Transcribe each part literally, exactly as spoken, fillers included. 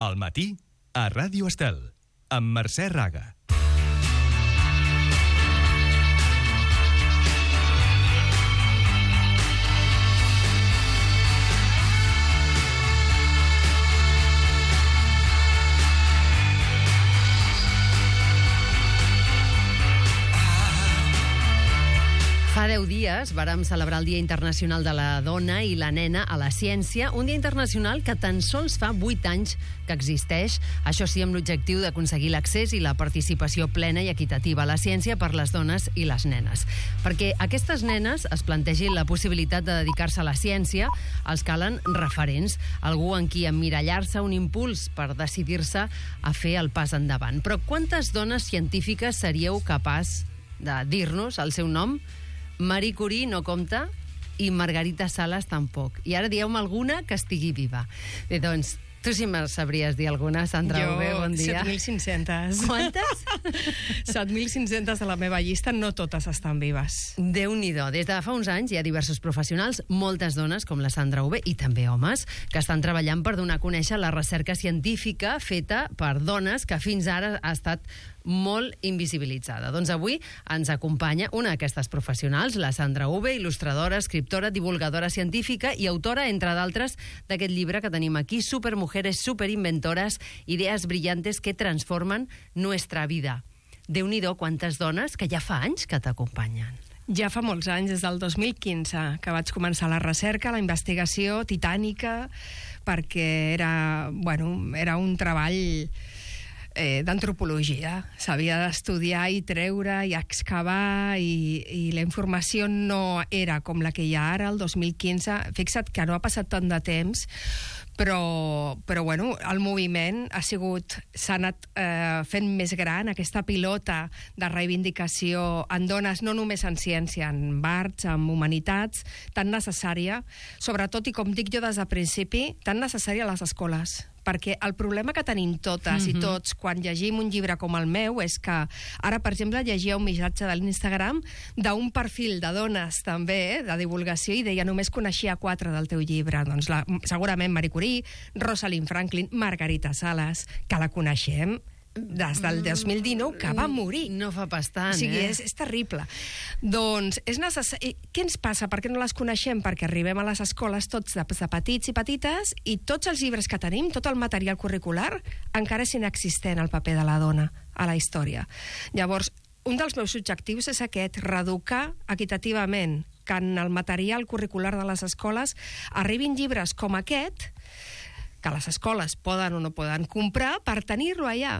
Al matí, a Ràdio Estel, amb Mercè Raga. Fa deu dies vàrem celebrar el Dia Internacional de la Dona i la Nena a la Ciència, un dia internacional que tan sols fa vuit anys que existeix, això sí, amb l'objectiu d'aconseguir l'accés i la participació plena i equitativa a la ciència per les dones i les nenes. Perquè aquestes nenes es plantegin la possibilitat de dedicar-se a la ciència, els calen referents, algú en qui emmirallar-se, un impuls per decidir-se a fer el pas endavant. Però quantes dones científiques seríeu capaç de dir-nos el seu nom? Marie Curie no compta i Margarita Salas tampoc. I ara dieu-me alguna que estigui viva. Bé, doncs, tu sí me'n sabries dir alguna, Sandra Jo, Ube, bon dia. set mil cinc-cents. Quantes? set mil cinc-cents de la meva llista, no totes estan vives. Déu-n'hi-do. Des de fa uns anys hi ha diversos professionals, moltes dones, com la Sandra Ube, i també homes, que estan treballant per donar a conèixer la recerca científica feta per dones que fins ara ha estat molt invisibilitzada. Doncs avui ens acompanya una d'aquestes professionals, la Sandra Ube, il·lustradora, escriptora, divulgadora científica i autora, entre d'altres, d'aquest llibre que tenim aquí, Supermujeres, superinventoras, ideas brillantes que transforman nuestra vida. Déu-n'hi-do quantes dones que ja fa anys que t'acompanyen. Ja fa molts anys, des del dos mil quinze, que vaig començar la recerca, la investigació titànica, perquè era, bueno, era un treball Eh, d'antropologia. S'havia d'estudiar i treure i excavar i, i la informació no era com la que hi ha ara, el dos mil quinze. Fixa't que no ha passat tant de temps, però, però bueno, el moviment ha sigut, s'ha anat eh, fent més gran, aquesta pilota de reivindicació en dones, no només en ciència, en arts, en humanitats, tan necessària, sobretot, i com dic jo des del principi, tan necessària a les escoles. Perquè el problema que tenim totes mm-hmm. i tots quan llegim un llibre com el meu és que ara, per exemple, llegia un missatge de l'Instagram d'un perfil de dones també, eh, de divulgació, i deia: només coneixia quatre del teu llibre. Doncs la, segurament Marie Curie, Rosalind Franklin, Margarita Salas, que la coneixem des del dos mil dinou, que va morir. No fa pas tant, o sigui, eh? és, és terrible. Doncs és necessari... Què ens passa? Per què no les coneixem? Perquè arribem a les escoles tots de, de petits i petites i tots els llibres que tenim, tot el material curricular, encara és inexistent el paper de la dona a la història. Llavors, un dels meus objectius és aquest, reeducar equitativament, que en el material curricular de les escoles arribin llibres com aquest, que les escoles poden o no poden comprar, per tenir-lo allà,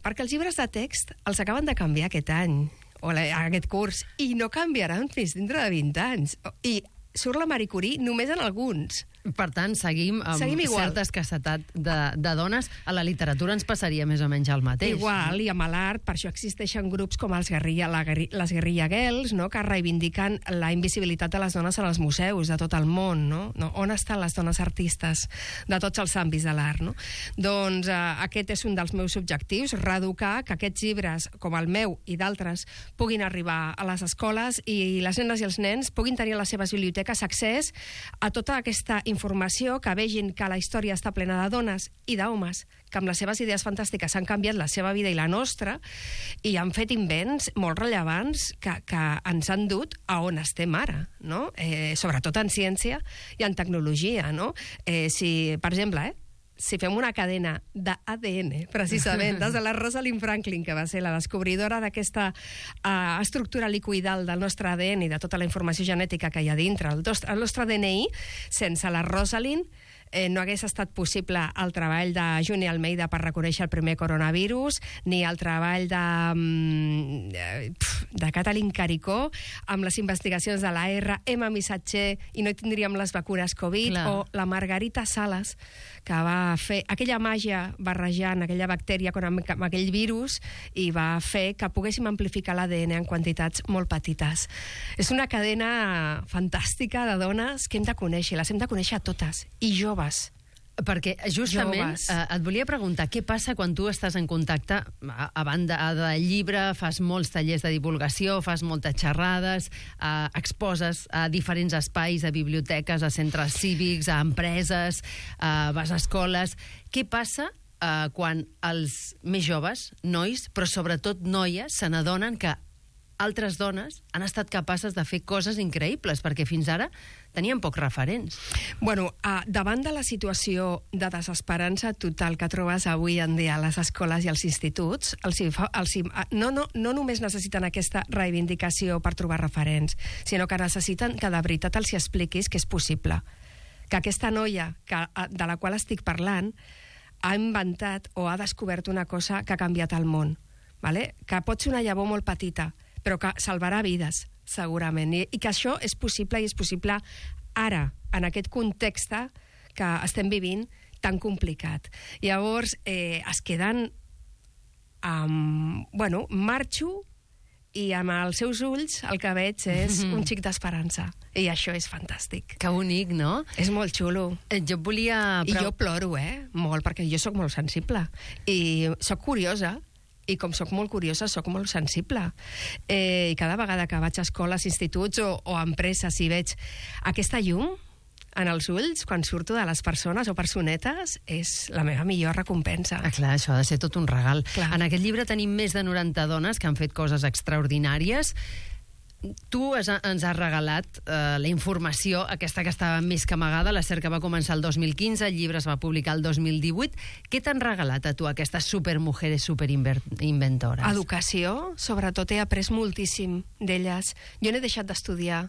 perquè els llibres de text els acaben de canviar aquest any, o aquest curs, i no canviaran fins dintre de vint anys. I surt la Marie Curie només en alguns. Per tant, seguim amb seguim certa escassetat de, de dones. A la literatura ens passaria més o menys el mateix. Igual, i amb l'art, per això existeixen grups com els guerrilla, la, les Guerrilla Girls, no?, que reivindiquen la invisibilitat de les dones en els museus de tot el món, no? no? On estan les dones artistes de tots els àmbits de l'art, no? Doncs eh, aquest és un dels meus objectius, reeducar, que aquests llibres, com el meu i d'altres, puguin arribar a les escoles i les nenes i els nens puguin tenir a les seves biblioteques accés a tota aquesta informació, que vegin que la història està plena de dones i d'homes que amb les seves idees fantàstiques han canviat la seva vida i la nostra i han fet invents molt rellevants que, que ens han dut a on estem ara, no? Eh, sobretot en ciència i en tecnologia, no? Eh, si, per exemple, eh, si fem una cadena d'A D N, precisament, des de la Rosalind Franklin, que va ser la descobridora d'aquesta uh, estructura liquidal del nostre A D N i de tota la informació genètica que hi ha dintre, el nostre, el nostre D N I, sense la Rosalind, eh, no hagués estat possible el treball de Juni Almeida per reconèixer el primer coronavirus, ni el treball de, de Katalin Caricó amb les investigacions de l'A R, Emma Missatger, i no tindríem les vacunes Covid, clar. O la Margarita Salas, que va fer aquella màgia barrejant aquella bactèria amb, amb aquell virus i va fer que poguéssim amplificar l'A D N en quantitats molt petites. És una cadena fantàstica de dones que hem de conèixer, les hem de conèixer a totes, i joves. Perquè justament eh, et volia preguntar què passa quan tu estàs en contacte a, a banda del llibre, fas molts tallers de divulgació, fas moltes xerrades, eh, exposes a diferents espais, a biblioteques, a centres cívics, a empreses, eh, vas a escoles. Què passa eh, quan els més joves, nois, però sobretot noies, se n'adonen que altres dones han estat capaces de fer coses increïbles, perquè fins ara tenien pocs referents. Bueno, uh, davant de la situació de desesperança total que trobes avui en dia a les escoles i als instituts, els, els, no, no, no només necessiten aquesta reivindicació per trobar referents, sinó que necessiten que de veritat els expliquis que és possible. Que aquesta noia que, de la qual estic parlant ha inventat o ha descobert una cosa que ha canviat el món. Vale? Que pot ser una llavor molt petita, però que salvarà vides, segurament. I, i que això és possible, i és possible ara, en aquest context que estem vivint tan complicat. Llavors, eh, es queden amb... Bueno, marxo i amb els seus ulls el que veig és un xic d'esperança. I això és fantàstic. Que bonic, no? És molt xulo. Eh, jo volia... I jo ploro, eh? Molt, perquè jo sóc molt sensible. I sóc curiosa, i com sóc molt curiosa, sóc molt sensible. Eh, I cada vegada que vaig a escoles, instituts o, o empreses i veig aquesta llum en els ulls, quan surto de les persones o personetes, és la meva millor recompensa. Ah, clar, això ha de ser tot un regal. Clar. En aquest llibre tenim més de noranta dones que han fet coses extraordinàries. Tu has, ens has regalat eh, la informació, aquesta que estava més que amagada. La cerca va començar el dos mil quinze, el llibre es va publicar el dos mil divuit. Què t'han regalat a tu aquestes supermujeres superinventores? Educació, sobretot he après moltíssim d'elles. Jo n'he deixat d'estudiar.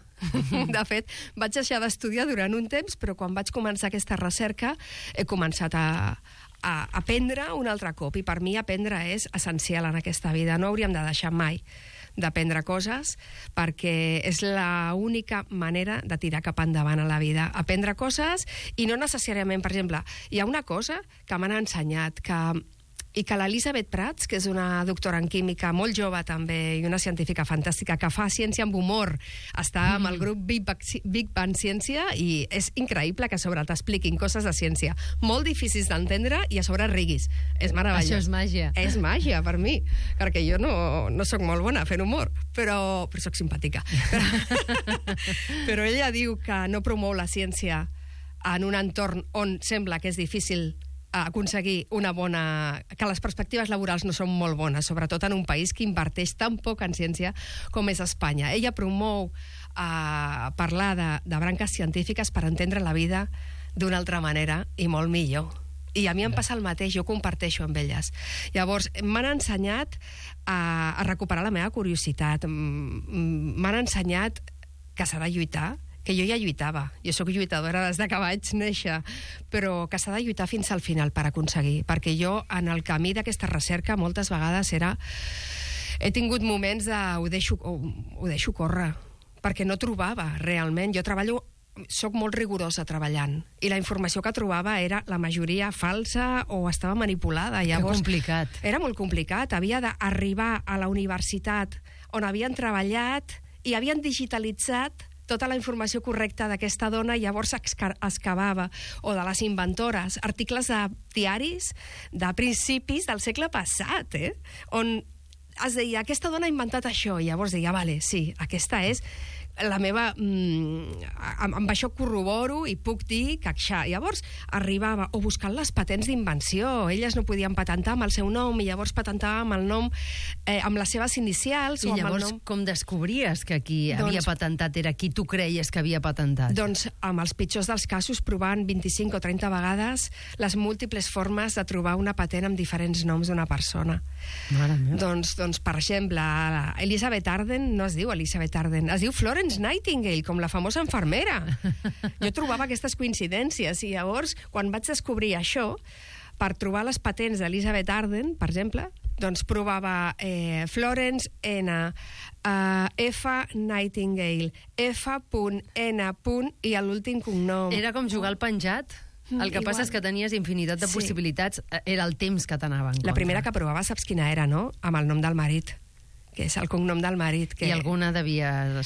De fet, vaig deixar d'estudiar durant un temps, però quan vaig començar aquesta recerca he començat a, a aprendre un altre cop. I per mi aprendre és essencial en aquesta vida. No hauríem de deixar mai d'aprendre coses, perquè és l'única manera de tirar cap endavant a la vida. Aprendre coses, i no necessàriament, per exemple, hi ha una cosa que m'han ensenyat, que i que l'Elisabeth Prats, que és una doctora en química molt jove també, i una científica fantàstica, que fa ciència amb humor, està amb el grup Big Bang, Big Bang Ciència, i és increïble que a sobre t'expliquin coses de ciència molt difícils d'entendre i a sobre riguis. És meravellós. Això és màgia. És màgia, per mi, perquè jo no, no sóc molt bona fent humor, però, però sóc simpàtica. Però, però ella diu que no promou la ciència en un entorn on sembla que és difícil aconseguir una bona... que les perspectives laborals no són molt bones, sobretot en un país que inverteix tan poc en ciència com és Espanya. Ella promou eh, parlar de, de branques científiques per entendre la vida d'una altra manera i molt millor. I a mi em passa el mateix, jo comparteixo amb elles. Llavors, m'han ensenyat a, a recuperar la meva curiositat, m'han ensenyat que s'ha de lluitar, que jo ja lluitava. Jo sóc lluitadora des de que vaig néixer, però que s'ha de lluitar fins al final per aconseguir, perquè jo, en el camí d'aquesta recerca, moltes vegades era... He tingut moments de... ho deixo, ho, ho deixo córrer, perquè no trobava realment. Jo treballo... soc molt rigorosa treballant, i la informació que trobava era la majoria falsa o estava manipulada. Llavors, que complicat. Era molt complicat. Havia d'arribar a la universitat on havien treballat i havien digitalitzat tota la informació correcta d'aquesta dona, i llavors excavava, o de les inventores, articles de diaris de principis del segle passat, eh? On es deia, aquesta dona ha inventat això, i llavors deia, vale, sí, aquesta és la meva... Mm, amb, amb això corroboro i puc dir que això. Llavors arribava, o buscant les patents d'invenció, elles no podien patentar amb el seu nom, i llavors patentava amb el nom, eh, amb les seves inicials. I o amb llavors, el nom... com descobries que qui doncs, havia patentat era qui tu creies que havia patentat? Doncs amb els pitjors dels casos, provant vint-i-cinc o trenta vegades les múltiples formes de trobar una patent amb diferents noms d'una persona. Mare meva. Doncs, doncs, per exemple, Elizabeth Arden no es diu Elizabeth Arden, es diu Florence Nightingale, com la famosa infermera. Jo trobava aquestes coincidències, i llavors, quan vaig descobrir això, per trobar les patents d'Elizabeth Arden, per exemple, doncs provava eh, Florence N, uh, F Nightingale, F N i l'últim cognom. Era com jugar al penjat? El que Igual. passa és que tenies infinitat de Sí. possibilitats. Era el temps que t'anava en La contra. primera que provava, saps quina era, no? Amb el nom del marit, que és el cognom del marit. Que... I alguna devia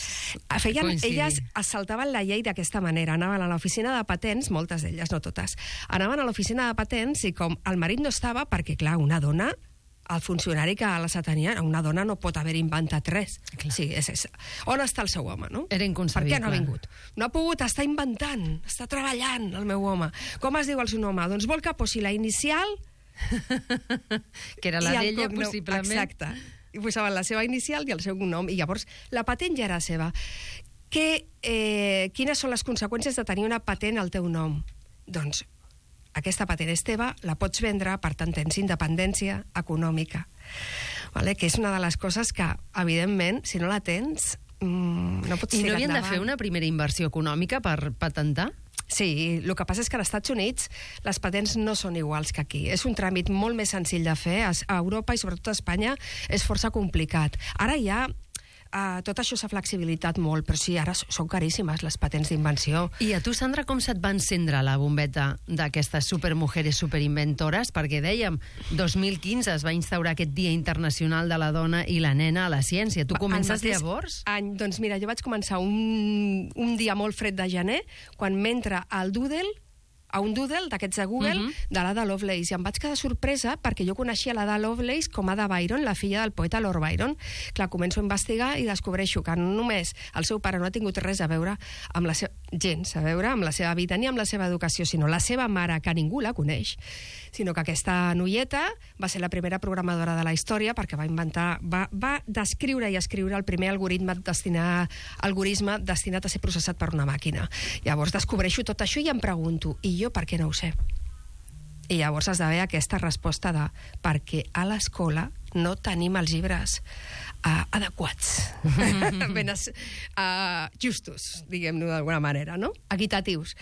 Feien, coincidir. elles es saltaven la llei d'aquesta manera. Anaven a l'oficina de patents, moltes d'elles, no totes, anaven a l'oficina de patents, i com el marit no estava, perquè, clar, una dona, el funcionari que la tenia, una dona no pot haver inventat res. Sí, és, és. On està el seu home, no? Era inconcebible. Per què no ha vingut? No ha pogut, està inventant, està treballant, el meu home. Com es diu el seu home? Doncs vol que posi la inicial Que era la I el d'ella, cognom, possiblement. Exacte. I posaven la seva inicial i el seu nom, i llavors la patent ja era seva. Que, eh, quines són les conseqüències de tenir una patent al teu nom? Doncs aquesta patent és teva, la pots vendre, per tant tens independència econòmica. Vale? Que és una de les coses que, evidentment, si no la tens, mmm, no pots I tirar no havien de endavant. fer una primera inversió econòmica per patentar? Sí, el que passa és que als Estats Units les patents no són iguals que aquí. És un tràmit molt més senzill de fer. A Europa i sobretot a Espanya és força complicat. Ara ja uh, tot això s'ha flexibilitat molt, però sí, ara són caríssimes les patents d'invenció. I a tu, Sandra, com se't va encendre la bombeta d'aquestes supermujeres superinventores? Perquè dèiem, dos mil quinze es va instaurar aquest Dia Internacional de la Dona i la Nena a la Ciència. Tu comences llavors? Any, doncs mira, jo vaig començar un, un dia molt fred de gener, quan m'entra al Doodle, a un doodle d'aquests de Google, uh -huh. de l'Ada Lovelace, i em vaig quedar sorpresa perquè jo coneixia l'Ada Lovelace com Ada Byron, la filla del poeta Lord Byron. Clar, començo a investigar i descobreixo que no només el seu pare no ha tingut res a veure amb la seva, gens a veure amb la seva vida ni amb la seva educació, sinó la seva mare, que ningú la coneix, sinó que aquesta noieta va ser la primera programadora de la història perquè va inventar, va, va descriure i escriure el primer algoritme destinat, algoritme destinat a ser processat per una màquina. Llavors descobreixo tot això i em pregunto, i jo per què no ho sé? I llavors has d'haver aquesta resposta de perquè a l'escola no tenim els llibres uh, adequats, ben uh, justos, diguem-ne d'alguna manera, no? Equitatius.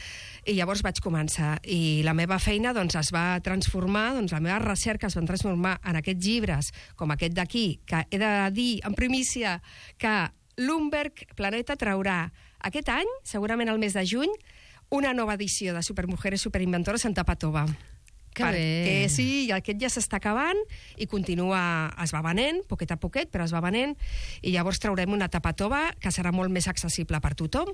I llavors vaig començar, i la meva feina doncs, es va transformar, doncs, la meva recerca es va transformar en aquests llibres, com aquest d'aquí, que he de dir en primícia que Bloomberg Planeta traurà aquest any, segurament al mes de juny, una nova edició de Supermujeres Superinventores en tapa tova. Que perquè bé. sí, i aquest ja s'està acabant i continua, es va venent, poquet a poquet, però es va venent, i llavors traurem una tapa tova que serà molt més accessible per tothom.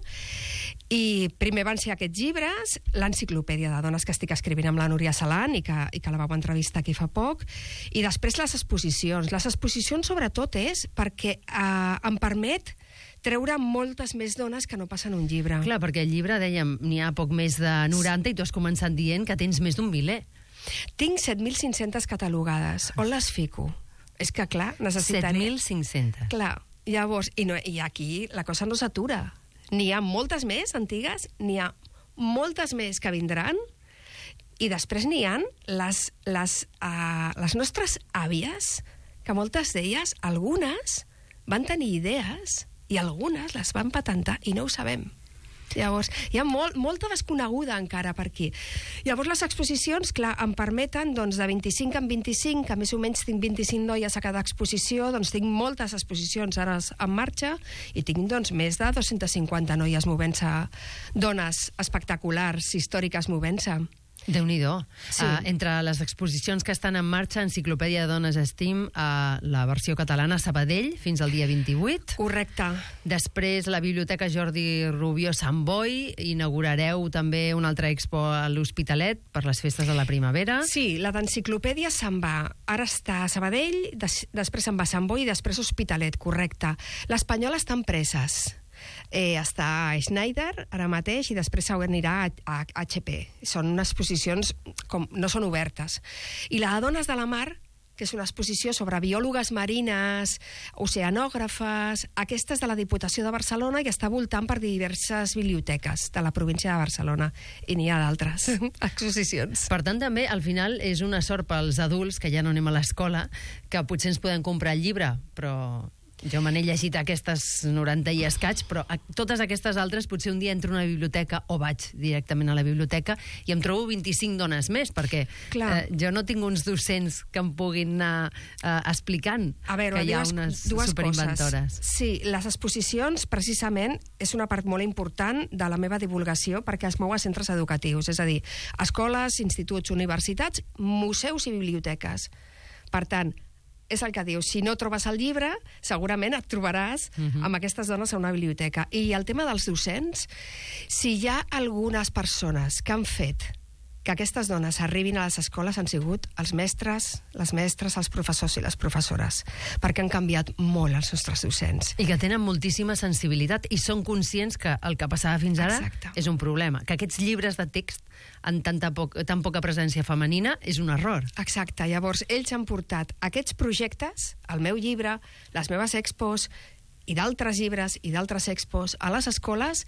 I primer van ser aquests llibres, l'enciclopèdia de dones que estic escrivint amb la Núria Salan i que, i que la vau entrevistar aquí fa poc, i després les exposicions. Les exposicions sobretot és perquè eh, em permet treure moltes més dones que no passen un llibre. Clar, perquè el llibre, dèiem, n'hi ha poc més de noranta i tu has començat dient que tens més d'un miler. Tinc set mil cinc-centes catalogades. On les fico? És que, clar, necessitaré... set mil cinc-centes. Clar, llavors, i, no, i aquí la cosa no s'atura. N'hi ha moltes més antigues, n'hi ha moltes més que vindran, i després n'hi ha les, les, uh, les nostres àvies, que moltes d'elles, algunes, van tenir idees i algunes les van patentar i no ho sabem. Llavors, hi ha molt, molta desconeguda encara per aquí. Llavors, les exposicions, clar, em permeten, doncs, de vint-i-cinc en vint-i-cinc, que més o menys tinc vint-i-cinc noies a cada exposició, doncs tinc moltes exposicions ara en marxa i tinc, doncs, més de dos-centes cinquanta noies movent-se, dones espectaculars, històriques movent-se. Déu-n'hi-do. Sí. Uh, entre les exposicions que estan en marxa, Enciclopèdia de Dones Steam, uh, la versió catalana a Sabadell, fins al dia vint-i-vuit. Correcte. Després, la Biblioteca Jordi Rubió Sant Boi. Inaugurareu també una altra expo a l'Hospitalet per les festes de la primavera. Sí, la d'Enciclopèdia se'n va. Ara està a Sabadell, des, després se'n va a Sant Boi i després a Hospitalet, correcte. L'Espanyola està en preses. Eh, està a Schneider ara mateix i després s'anirà a, a, a H P. Són unes exposicions com no són obertes. I la de Dones de la Mar, que és una exposició sobre biòlogues marines, oceanògrafes, aquesta és de la Diputació de Barcelona i està voltant per diverses biblioteques de la província de Barcelona. I n'hi ha d'altres exposicions. Per tant, també, al final, és una sort pels adults, que ja no anem a l'escola, que potser ens podem comprar el llibre, però... Jo me n'he llegit aquestes noranta i escaig, però a totes aquestes altres potser un dia entro a una biblioteca o vaig directament a la biblioteca i em trobo vint-i-cinc dones més, perquè eh, jo no tinc uns docents que em puguin anar eh, explicant a veure, que hi ha dues, unes dues superinventores. Coses. Sí, les exposicions, precisament, és una part molt important de la meva divulgació perquè es mou a centres educatius, és a dir, escoles, instituts, universitats, museus i biblioteques. Per tant, és el que dius, si no trobes el llibre, segurament et trobaràs uh-huh. amb aquestes dones a una biblioteca. I el tema dels docents, si hi ha algunes persones que han fet que aquestes dones arribin a les escoles han sigut els mestres, les mestres, els professors i les professores, perquè han canviat molt els nostres docents. I que tenen moltíssima sensibilitat i són conscients que el que passava fins ara Exacte. és un problema, que aquests llibres de text amb tanta poc, tan poca presència femenina és un error. Exacte, llavors ells han portat aquests projectes, el meu llibre, les meves expos i d'altres llibres i d'altres expos a les escoles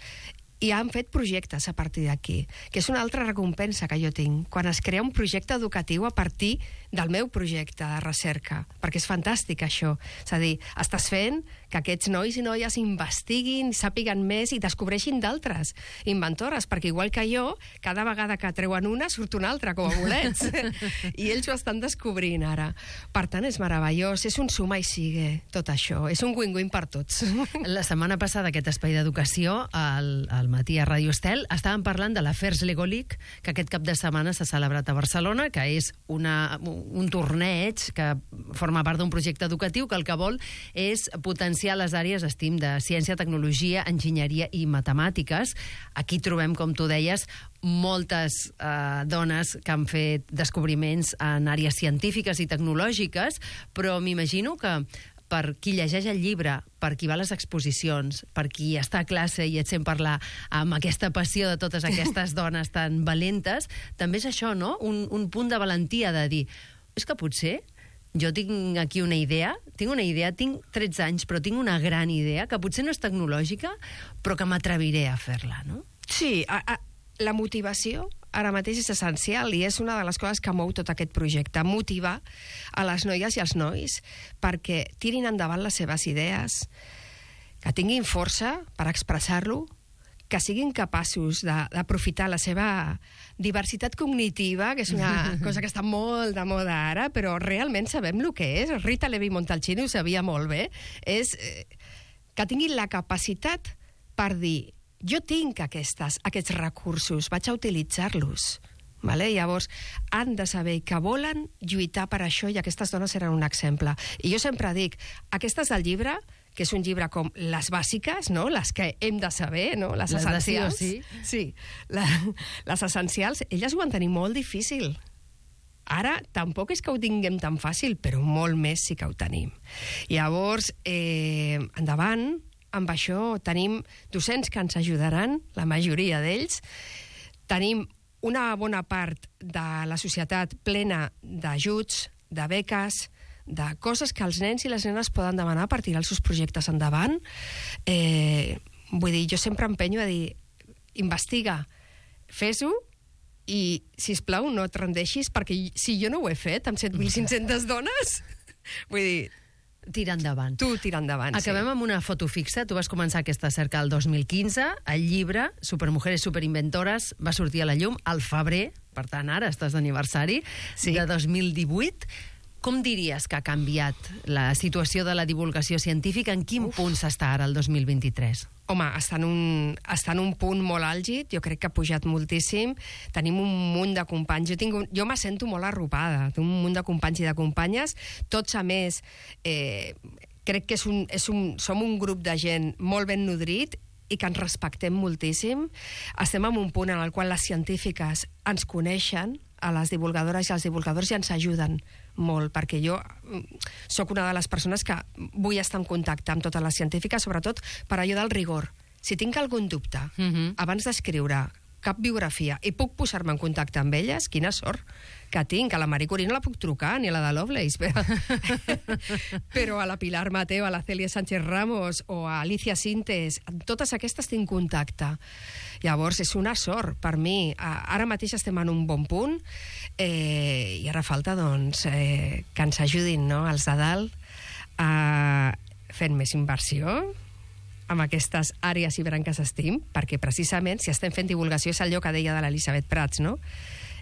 i han fet projectes a partir d'aquí, que és una altra recompensa que jo tinc, quan es crea un projecte educatiu a partir del meu projecte de recerca, perquè és fantàstic això. És a dir, estàs fent que aquests nois i noies investiguin, sàpiguen més i descobreixin d'altres inventores, perquè igual que jo, cada vegada que treuen una surt una altra, com a bolets. I ells ho estan descobrint ara. Per tant, és meravellós, és un suma i sigue, tot això. És un win-win per tots. La setmana passada, aquest espai d'educació, al, al matí a Radio Estel, estàvem parlant de l'Afers Legolic, que aquest cap de setmana s'ha celebrat a Barcelona, que és una, un torneig que forma part d'un projecte educatiu que el que vol és potenciar les àrees, estim, de ciència, tecnologia, enginyeria i matemàtiques. Aquí trobem, com tu deies, moltes eh, dones que han fet descobriments en àrees científiques i tecnològiques, però m'imagino que per qui llegeix el llibre, per qui va a les exposicions, per qui està a classe i et sent parlar amb aquesta passió de totes aquestes dones tan valentes, també és això, no? Un, un punt de valentia de dir, és que potser jo tinc aquí una idea, tinc una idea, tinc tretze anys, però tinc una gran idea, que potser no és tecnològica, però que m'atreviré a fer-la, no? Sí, a, a, la motivació ara mateix és essencial i és una de les coses que mou tot aquest projecte, motivar a les noies i als nois perquè tirin endavant les seves idees, que tinguin força per expressar-lo, que siguin capaços d'aprofitar la seva diversitat cognitiva, que és una cosa que està molt de moda ara, però realment sabem el que és. Rita Levi Montalcini ho sabia molt bé. És eh, que tinguin la capacitat per dir jo tinc aquestes, aquests recursos, vaig a utilitzar-los. Vale? Llavors, han de saber que volen lluitar per això i aquestes dones eren un exemple. I jo sempre dic, aquestes del llibre, que és un llibre com les bàsiques, no? Les que hem de saber, no? Les, les essencials. Sí, sí. Sí, la, les essencials, elles ho van tenir molt difícil. Ara tampoc és que ho tinguem tan fàcil, però molt més sí que ho tenim. Llavors, eh, endavant, amb això tenim docents que ens ajudaran, la majoria d'ells. Tenim una bona part de la societat plena d'ajuts, de beques, de coses que els nens i les nenes poden demanar per tirar els seus projectes endavant. Eh, vull dir, jo sempre empenyo a dir, investiga, fes-ho, i, sisplau, no et rendeixis, perquè si jo no ho he fet amb set mil cinc-centes dones, vull dir, Tira endavant. tu tira endavant. Acabem sí. amb una foto fixa. Tu vas començar aquesta cerca el dos mil quinze. El llibre, Supermujeres Superinventores, va sortir a la llum al febrer, per tant, ara estàs d'aniversari, Sí. de dos mil divuit. Com diries que ha canviat la situació de la divulgació científica? En quin Uf. punt s'està ara el dos mil vint-i-tres? Home, està en, un, està en un punt molt àlgid, jo crec que ha pujat moltíssim, tenim un munt de companys, jo, tinc un, jo me sento molt arropada, tinc un munt de companys i de companyes, tots a més, eh, crec que és un, és un, som un grup de gent molt ben nodrit i que ens respectem moltíssim. Estem en un punt en el qual les científiques ens coneixen, a les divulgadores i als divulgadors, i ens ajuden molt, perquè jo sóc una de les persones que vull estar en contacte amb totes les científiques, sobretot per allò del rigor. Si tinc algun dubte, Mhm. abans d'escriure cap biografia i puc posar-me en contacte amb elles, quina sort que tinc. A la Marie Curie no la puc trucar, ni a la de Lovelace, però, però a la Pilar Mateo, a la Cèlia Sánchez Ramos o a Alicia Sintes, amb totes aquestes tinc contacte. Llavors, és una sort per mi. Ara mateix estem en un bon punt eh, i ara falta doncs, eh, que ens ajudin, no?, els de dalt a fer més inversió amb aquestes àrees i branques estim, perquè precisament si estem fent divulgació és allò que deia de l'Elisabet Prats, no?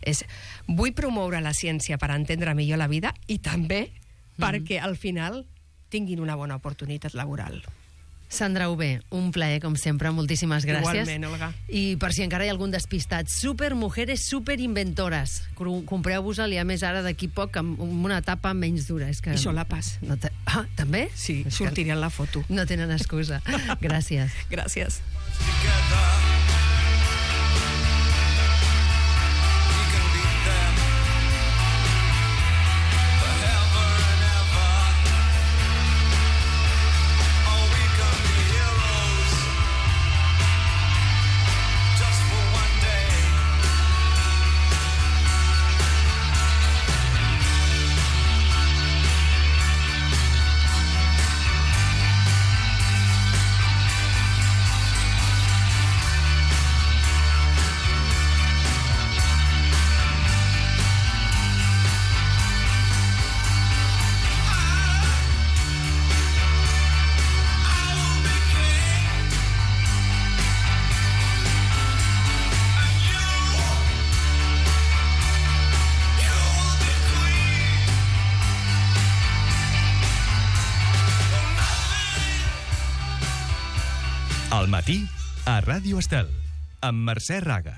És, vull promoure la ciència per entendre millor la vida i també mm-hmm. perquè al final tinguin una bona oportunitat laboral. Sandra Ober, un plaer, com sempre, moltíssimes gràcies. Igualment, Olga. I per si encara hi ha algun despistat, Supermujeres Superinventores. Compreu-vos-la, a més ara d'aquí poc, amb una etapa menys dura. És que... I solapes. No te... Ah, també? Sí, És sortiré en la foto. No tenen excusa. Gràcies. Gràcies. You can Al matí, a Ràdio Estel, amb Mercè Raga.